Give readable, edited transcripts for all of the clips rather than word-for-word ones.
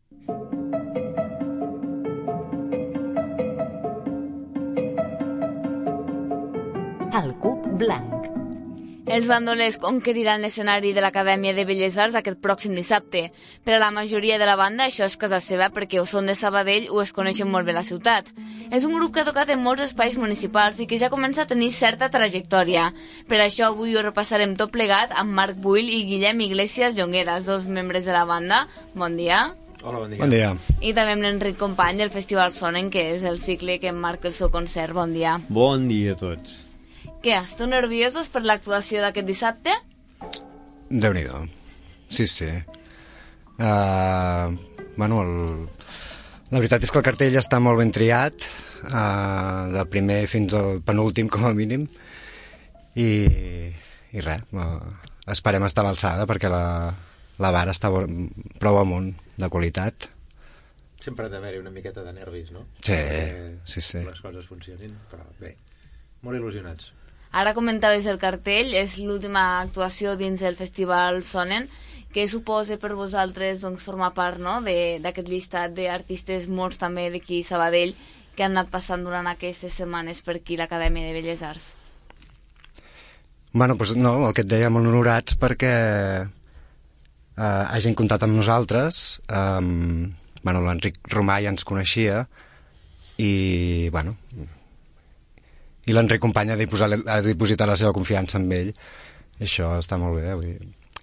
El Cub Blanc. Els bandolers conqueriran l'escenari de l'Acadèmia de Belles Arts aquest pròxim dissabte. Per a la majoria de la banda això és casa seva perquè o són de Sabadell o es coneixen molt bé la ciutat. És un grup que ha tocat en molts espais municipals i que ja comença a tenir certa trajectòria. Per això avui ho repassarem tot plegat amb Marc Buil i Guillem Iglesias Llongueras, dos membres de la banda. Bon dia. Hola, bon dia. Bon dia. I també amb l'Enric Company del Festival Sonen, que és el cicle que marca el seu concert. Bon dia. Bon dia a tots. Què, esteu nerviosos per l'actuació d'aquest dissabte? Déu-n'hi-do. Sí. Bueno, la veritat és que el cartell està molt ben triat, del primer fins al penúltim, com a mínim, i res, esperem estar a l'alçada perquè la vara està prou amunt de qualitat. Sempre ha d'haver-hi una miqueta de nervis, no? Sí. Les coses funcionin, però bé, molt il·lusionats. Ara comentaves el cartell, és l'última actuació dins el Festival Sonen. Què suposa per vosaltres doncs, formar part, no?, d'aquest llistat d'artistes, molts també d'aquí Sabadell, que han anat passant durant aquestes setmanes per aquí l'Acadèmia de Belles Arts? Bueno, doncs no, el que et deia, molt honorats perquè hagin comptat amb nosaltres. Bueno, l'Enric Romà ja ens coneixia i, bueno, i l'Enric Company ha dipositat la seva confiança en ell, i això està molt bé.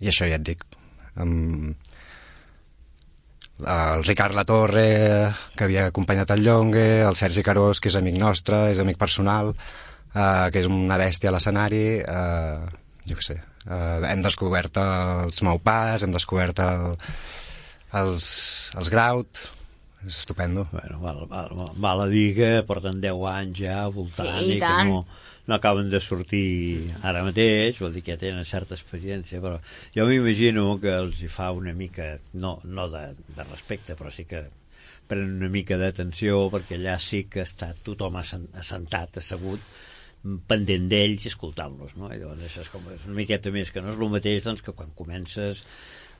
I això ja et dic, el Ricard Latorre, que havia acompanyat el Llongue, el Sergi Carós, que és amic nostre, és amic personal, que és una bèstia a l'escenari, jo què sé, hem descobert els Maupàs, hem descobert els Graut. És estupendo. Bueno, val a dir que porten 10 anys ja voltant, sí, i que no acaben de sortir ara mateix, vol dir que ja tenen certa experiència, però jo m'imagino que els hi fa una mica, no de respecte, però sí que prenen una mica d'atenció, perquè allà sí que està tothom assentat, assegut, pendent d'ells i escoltant-los, no? I llavors això és com una miqueta més, que no és el mateix doncs, que quan comences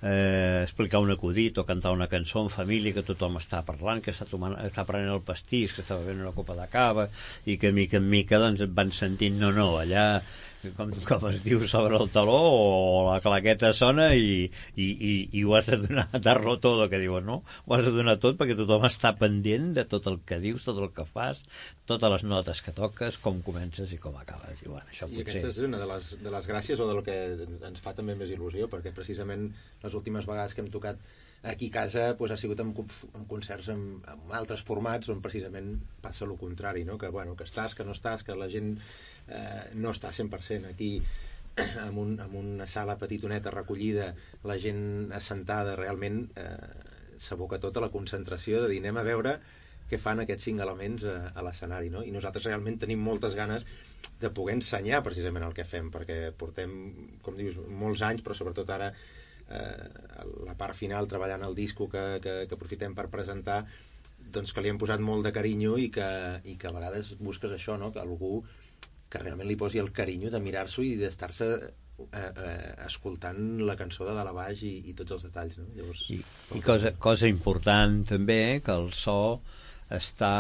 explicar un acudit o cantar una cançó en família, que tothom està parlant, que està prenent el pastís, que està bevent una copa de cava, i que mica en mica doncs, et van sentint allà com es diu, sobre el taló, o la claqueta sona i ho has de donar, dar-lo tot, que diuen, no? Ho has de donar tot perquè tothom està pendent de tot el que dius, tot el que fas, totes les notes que toques, com comences i com acabes. I, bueno, això I aquesta és una de les gràcies o del que ens fa també més il·lusió, perquè precisament les últimes vegades que hem tocat aquí a casa doncs, ha sigut en concerts amb altres formats on precisament passa el contrari, no? Que estàs, que no estàs, que la gent no està 100%. Aquí, amb una sala petitoneta recollida, la gent assentada, realment s'aboca tota la concentració de dir anem a veure què fan aquests 5 elements a l'escenari, no? I nosaltres realment tenim moltes ganes de poder ensenyar precisament el que fem, perquè portem, com dius, molts anys, però sobretot ara la part final, treballant el disco que aprofitem per presentar, doncs que li hem posat molt de carinyo i que a vegades busques això, no? Que algú que realment li posi el carinyo de mirar-s'ho i d'estar-se escoltant la cançó de dalt a baix i tots els detalls, no? Llavors, I cosa important també, que el so està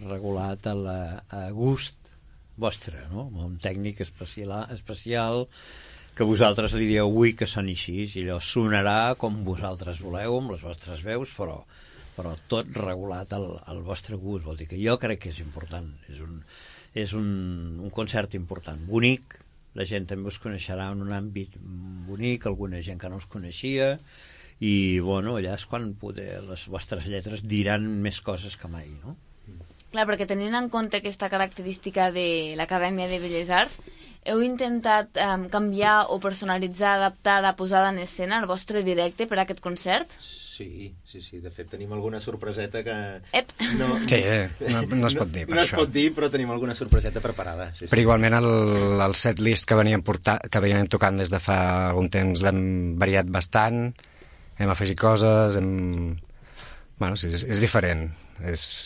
regulat a gust vostre, no? Amb un tècnic especial que vosaltres li dieu avui que soni així, i allò sonarà com vosaltres voleu, amb les vostres veus, però tot regulat al vostre gust. Vol dir que jo crec que és important, és un concert important, bonic, la gent també us coneixerà en un àmbit bonic, alguna gent que no us coneixia, i bueno, allà és quan les vostres lletres diran més coses que mai, no? Clar, perquè tenint en compte aquesta característica de l'Acadèmia de Belles Arts, heu intentat canviar o personalitzar, adaptar la posada en escena al vostre directe per a aquest concert? Sí. De fet, tenim alguna sorpreseta que... No es pot dir, per això. No es pot dir, però tenim alguna sorpreseta preparada. Sí. Però igualment el setlist que veníem tocant des de fa algun temps l'hem variat bastant, hem afegit coses, Bueno, sí, és diferent.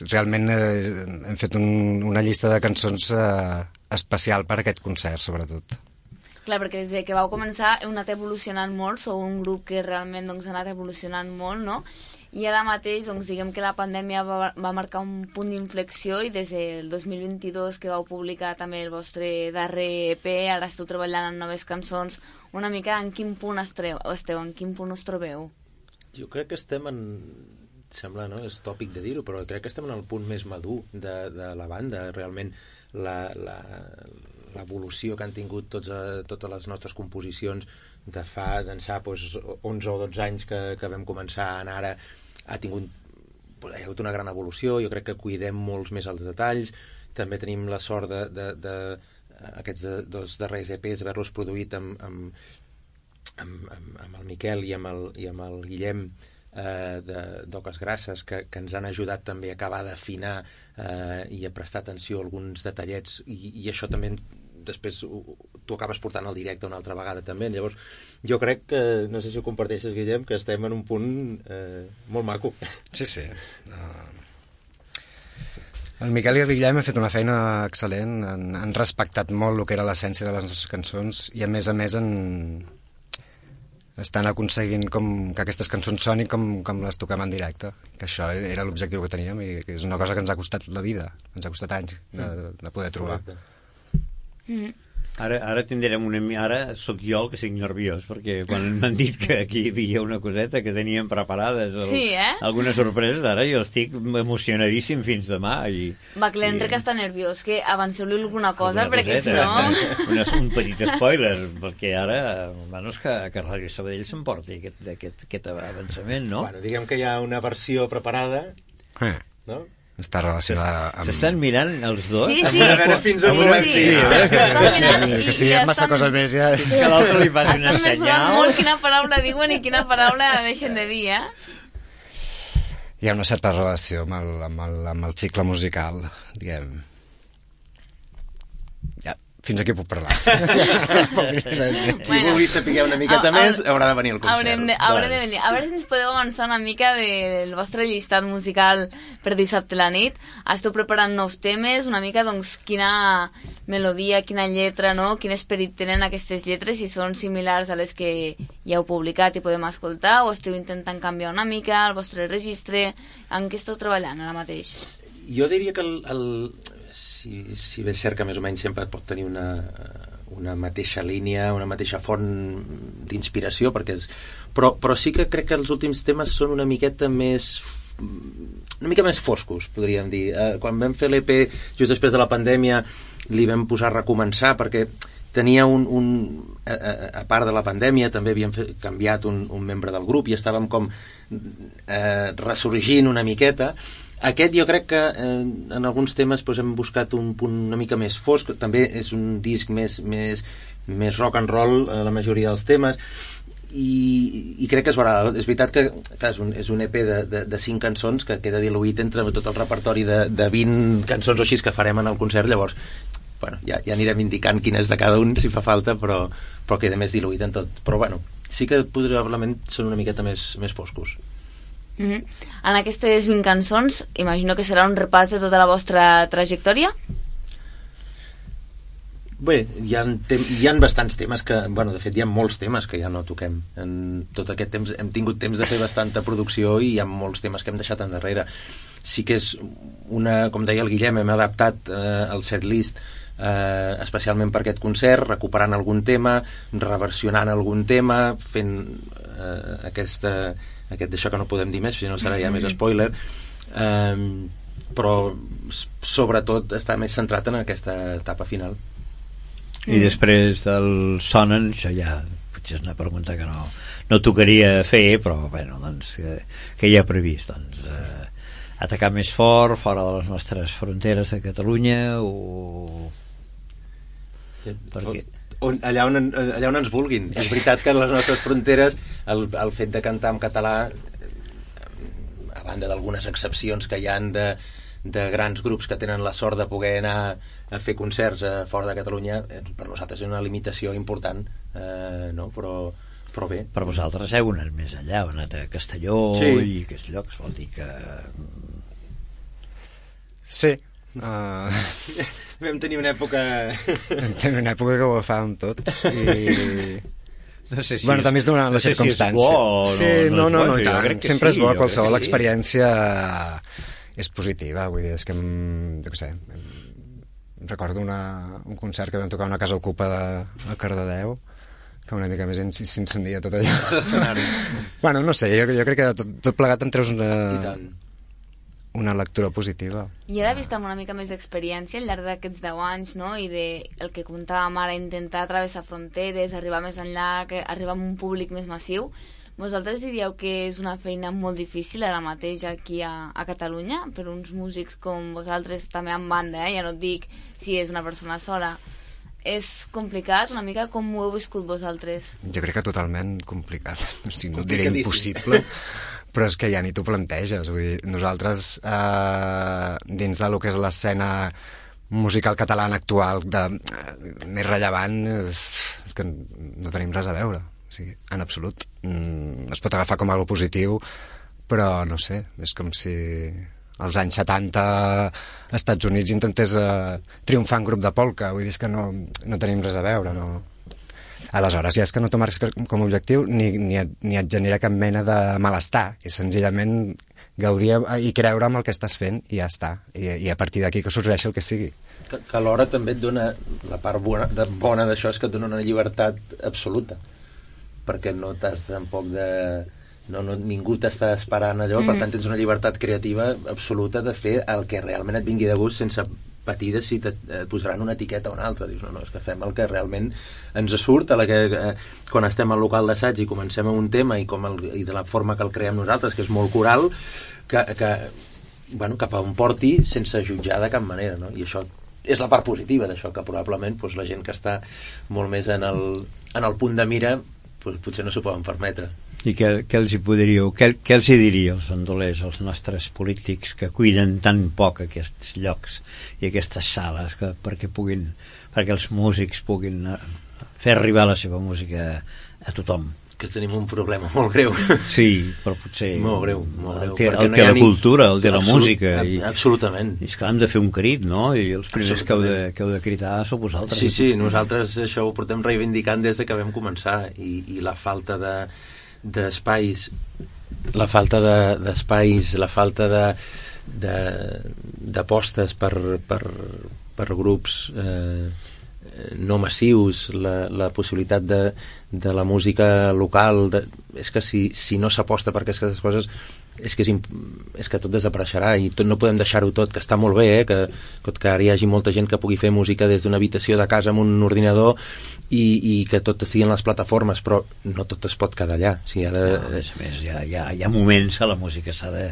Realment hem fet una llista de cançons especial per a aquest concert, sobretot. Clar, perquè des que vau començar heu anat evolucionant molt, sou un grup que realment doncs, ha anat evolucionant molt, no? I ara mateix, doncs, diguem que la pandèmia va marcar un punt d'inflexió i des del 2022 que vau publicar també el vostre darrer EP, ara esteu treballant en noves cançons, una mica en quin punt esteu, en quin punt us trobeu? Jo crec que estem en... Sembla, no? És tòpic de dir-ho, però crec que estem en el punt més madur de la banda. Realment l'evolució que han tingut totes les nostres composicions d'ençà 11 o 12 anys que vam començar a anar ara, hi ha hagut una gran evolució. Jo crec que cuidem molts més els detalls. També tenim la sort aquests dos darrers EPs d'haver-los produït amb el Miquel i amb el Guillem d'Oques Grasses, que ens han ajudat també a acabar d'afinar i a prestar atenció a alguns detallets, i això també després tu acabes portant al directe una altra vegada també. Llavors jo crec que, no sé si ho comparteixes, Guillem, que estem en un punt molt maco. Sí. El Miquel i el Guillem han fet una feina excel·lent, han respectat molt el que era l'essència de les nostres cançons i a més estan aconseguint que aquestes cançons sonin com les toquem en directe, que això era l'objectiu que teníem i que és una cosa que ens ha costat la vida, ens ha costat anys de poder trobar. Ara tindrem ara sóc jo el que estic nerviós, perquè quan m'han dit que aquí hi havia una coseta que teníem preparades alguna sorpresa, ara jo estic emocionadíssim fins demà. Va, que l'Enric està nerviós, que avanceu-li alguna cosa, perquè si no... Un petit spoiler, perquè ara és que Ràdio Sabadell s'emporti aquest avançament, no? Bueno, diguem que hi ha una versió preparada, no? Està relacionada amb... S'estan mirant els dos? Sí. A veure fins on volem. Que si diem massa coses més ja... Fins que l'altre li faci una senyal. Estan mesurant molt quina paraula diuen i quina paraula deixen de dir, Hi ha una certa relació amb el cicle musical, diguem. Ja, fins aquí puc parlar. Qui vulgui saber una miqueta més haurà de venir al concert. Haurem de venir. A veure si ens podeu avançar una mica del vostre llistat musical per dissabte a la nit. Esteu preparant nous temes, una mica, doncs, quina melodia, quina lletra, no? Quin esperit tenen aquestes lletres, si són similars a les que ja heu publicat i podem escoltar, o esteu intentant canviar una mica el vostre registre. En què esteu treballant ara mateix? Jo diria que si bé és cert que més o menys sempre pot tenir una mateixa línia, una mateixa font d'inspiració, però sí que crec que els últims temes són una mica més foscos, podríem dir. Quan vam fer l'EP just després de la pandèmia li vam posar a recomençar, perquè tenia a part de la pandèmia també havíem canviat un membre del grup i estàvem com ressorgint una miqueta. Aquest jo crec que en alguns temes hem buscat un punt una mica més fosc, també és un disc més rock and roll la majoria dels temes, i crec que es veurà. És veritat que és un EP de 5 cançons que queda diluït entre tot el repertori de 20 cançons o així que farem en el concert. Llavors ja anirem indicant quin és de cada un si fa falta, però queda més diluït en tot. Però sí que probablement són una miqueta més foscos. En aquestes 20 cançons imagino que serà un repàs de tota la vostra trajectòria? Bé, hi ha bastants temes que, de fet hi ha molts temes que ja no toquem. En tot aquest temps hem tingut temps de fer bastanta producció i hi ha molts temes que hem deixat endarrere. Sí que és com deia el Guillem, hem adaptat el setlist especialment per aquest concert, recuperant algun tema, reversionant algun tema, fent aquest d'això que no podem dir més, si no serà ja més spoiler, però sobretot està més centrat en aquesta etapa final. I després del Sonen, això ja potser és una pregunta que no tocaria fer, però doncs, que hi ha previst, doncs, atacar més fort fora de les nostres fronteres de Catalunya, o perquè allà on ens vulguin. És veritat que les nostres fronteres el fet de cantar en català, a banda d'algunes excepcions que hi han de grans grups que tenen la sort de poder anar a fer concerts fora de Catalunya, per nosaltres és una limitació important, no? Però bé. Per vosaltres heu anat més allà, heu anat a Castelló i aquests llocs, vol dir que... Sí. Vam tenir una època... que ho agafàvem tot. No sé si bueno, també és donant la circumstància. Si és bo o sí, no, no, és bo, i tant. Sempre és bo, qualsevol experiència és positiva, vull dir, és que, jo què sé, recordo un concert que vam tocar a una casa ocupa a Cardedeu, que una mica més s'incendia tot allò. Bueno, no sé, jo crec que tot plegat en treus una lectura positiva. I ara, vist amb una mica més d'experiència al llarg d'aquests 10 anys, no? I el que comentàvem ara, intentar travessar fronteres, arribar més enllà, arribar a un públic més massiu, vosaltres diríeu que és una feina molt difícil ara mateix aquí a Catalunya per uns músics com vosaltres, també en banda, ja no et dic si és una persona sola. És complicat, una mica com ho heu viscut vosaltres? Jo crec que totalment complicat, o sigui, no diré impossible, però és que ja ni t'ho planteges. Vull dir, nosaltres, dins de lo que és l'escena musical catalana actual més rellevant, és que no tenim res a veure, o sigui, en absolut. Es pot agafar com algo positiu, però no sé, és com si als anys 70 als Estats Units intentés triomfar en grup de polka, vull dir, és que no tenim res a veure, no. Aleshores, ja és que no t'ho marques com a objectiu ni et genera cap mena de malestar, és senzillament gaudir i creure amb el que estàs fent i ja està, i a partir d'aquí que sorgeixi el que sigui. Que alhora també et dona, la part bona d'això és que et dona una llibertat absoluta, perquè no t'has tampoc de... ningú t'està esperant allò, per tant tens una llibertat creativa absoluta de fer el que realment et vingui de gust sense patir de si et posaran una etiqueta o una altra. Dius, no, és que fem el que realment ens surt, quan estem al local d'assaig i comencem amb un tema i de la forma que el creem nosaltres, que és molt coral, cap a on porti sense jutjar de cap manera, no? I això és la part positiva d'això, que probablement la gent que està molt més en el punt de mira potser no s'ho poden permetre. I què els hi podríeu, què els hi diria als bandolers, als nostres polítics que cuiden tan poc aquests llocs i aquestes sales perquè els músics puguin fer arribar la seva música a tothom? Que tenim un problema molt greu. Sí, però potser... Molt greu. El té la cultura, el té la música. Absolutament. I és que hem de fer un crit, no? I els primers que heu de cristar sou vosaltres. Sí, nosaltres això ho portem reivindicant des de que vam començar, i la falta d'espais, la falta d'apostes per grups no massius, la possibilitat de la música local, és que si no s'aposta per aquestes coses és que tot desapareixerà i no podem deixar-ho tot, que està molt bé, que ara hi hagi molta gent que pugui fer música des d'una habitació de casa amb un ordinador i que tot estigui en les plataformes, però no tot es pot quedar allà. O sigui, a més, hi ha moments que la música s'ha de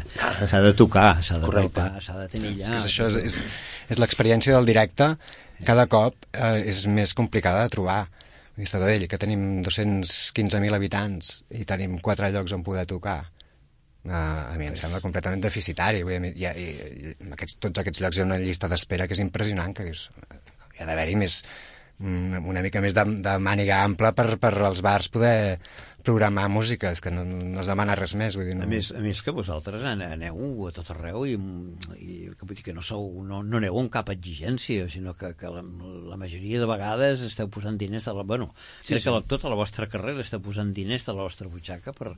tocar, s'ha de tocar, s'ha de tenir allà. Això és l'experiència del directe, cada cop és més complicada de trobar. A Sabadell, que tenim 215.000 habitants i tenim 4 llocs on poder tocar, a mi em sembla completament deficitari. Tots aquests llocs hi ha una llista d'espera que és impressionant, que dius, hi ha d'haver-hi una mica més de màniga ampla per als bars poder programar música, és que no es demana res més. Vull dir, no... A més que vosaltres aneu a tot arreu i vull dir que no aneu amb cap exigència, sinó que la majoria de vegades esteu posant diners crec que tota la vostra carrera esteu posant diners de la vostra butxaca per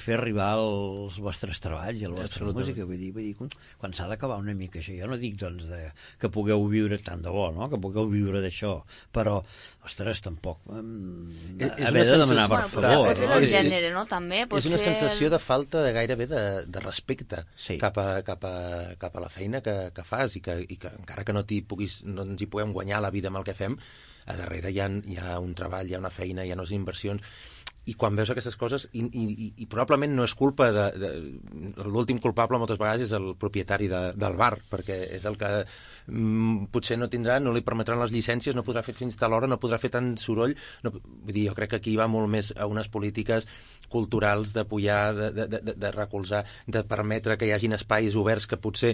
fer arribar els vostres treballs i la vostra música. Vull dir, quan s'ha d'acabar una mica això, jo no dic doncs que pugueu viure tant de bo, no? Que pugueu viure d'això, però ostres, tampoc haver de demanar per favor. És el gènere, no? També és una sensació de falta gairebé de respecte cap a la feina que fas i que encara que no ens hi puguem guanyar la vida amb el que fem, a darrere hi ha un treball, hi ha una feina, hi ha unes inversions, i quan veus aquestes coses i probablement no és culpa l'últim culpable moltes vegades és el propietari del bar, perquè és el que potser no li permetran les llicències, no podrà fer fins a l'hora, no podrà fer tant soroll, vull dir, jo crec que aquí va molt més a unes polítiques culturals d'apoyar, de recolzar, de permetre que hi hagin espais oberts que potser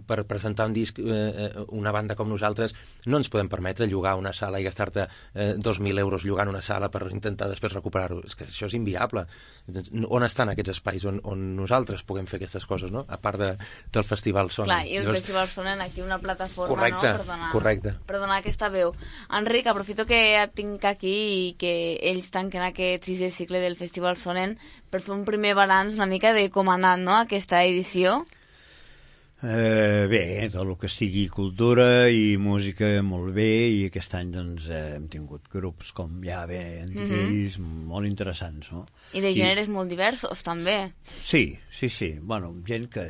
per presentar un disc una banda com nosaltres no ens podem permetre llogar una sala i gastar-te 2.000 euros llogant una sala per intentar després nosaltres recuperar-ho? És que això és inviable. On estan aquests espais on nosaltres puguem fer aquestes coses, no? A part del Festival Sonen. Clar, i el Festival Sonen aquí una plataforma, correcte, no? Correcte. Per donar aquesta veu. Enric, aprofito que et tinc aquí i que ells tanquen aquest 6è cicle del Festival Sonen per fer un primer balanç una mica de com ha anat, no?, aquesta edició. Bé, tot el que sigui cultura i música molt bé, i aquest any doncs hem tingut grups com ja bé han dit ells, molt interessants, no? I de gèneres molt diversos també. Sí, bueno, gent que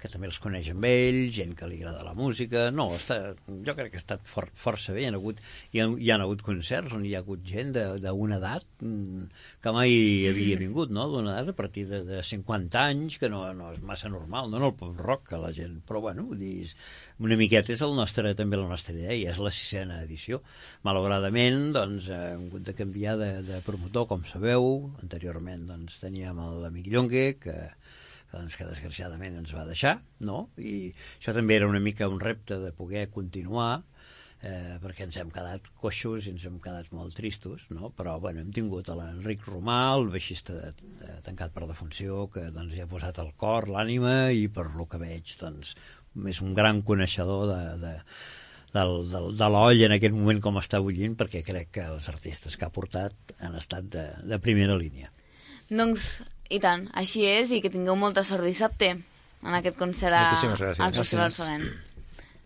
també els coneix amb ells, gent que li agrada la música, jo crec que ha estat força bé, hi ha hagut concerts on hi ha hagut gent d'una edat que mai havia vingut, no?, d'una edat a partir de 50 anys, que no és massa normal, no en el pop rock, que la gent, però bueno, una miqueta és també la nostra idea, i és la 6a edició. Malauradament, doncs, hem hagut de canviar de promotor, com sabeu. Anteriorment, doncs, teníem l'amic Llongue, que desgraciadament ens va deixar, no? I això també era una mica un repte de poder continuar, perquè ens hem quedat coixos i ens hem quedat molt tristos, no? Però bueno, hem tingut l'Enric Romà, el baixista tancat per defunció, que doncs, hi ha posat el cor, l'ànima, i per lo que veig doncs, és un gran coneixedor de l'oll en aquest moment com està bullint, perquè crec que els artistes que ha portat han estat de primera línia. Doncs, i tant, així és, i que tingueu molta sort dissabte en aquest concert al Festival Sonen.